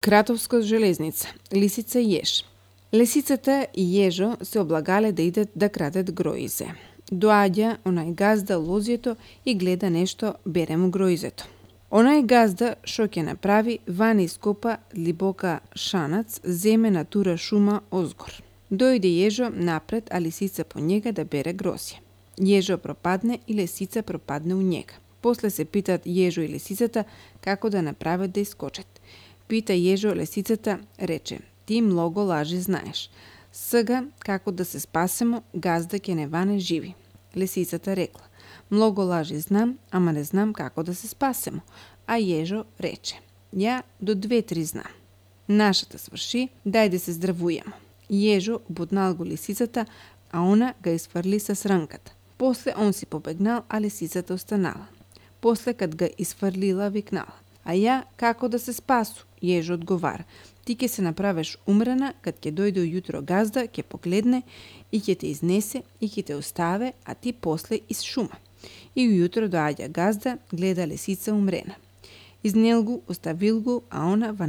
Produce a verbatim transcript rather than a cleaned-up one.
Кратовска железница. Лисица и еж. Лисицата и ежо се облагале да идат да крадат гроизе. Доаѓа онај газда лозјето и гледа нешто бере му гроизето. Онај газда шо ќе направи, вани ископа длибока шанац, земе натура шума озгор. Дојде ежо напред, а лисица по njega да бере грозје. Ежо пропадне и лисица пропадне у njega. После се питат ежо и лисицата како да направат да искочат. Пита ежо лисицата, рече: ти многу лажи знаеш. Сега како да се спасемо, газда ќе не ване живи. Лисицата рекла: многу лажи знам, ама не знам како да се спасемо. А ежо рече: ја до две-три знам. Нашата сврши, дај да се здравујемо. Ежо бутнал го лисицата, а она га изфрли со срнката. После он си побегнал, а лисицата останала. После кад га изфрлила, викнала: а ја како да се спасу? Ежо одговара: ти ќе се направиш умрена, кад ќе дојде ујутро газда, ќе погледне и ќе те изнесе и ќе те оставе, а ти после из шума. И ујутро доаѓа газда, гледа лисица умрена. Изнел го, оставил го, а она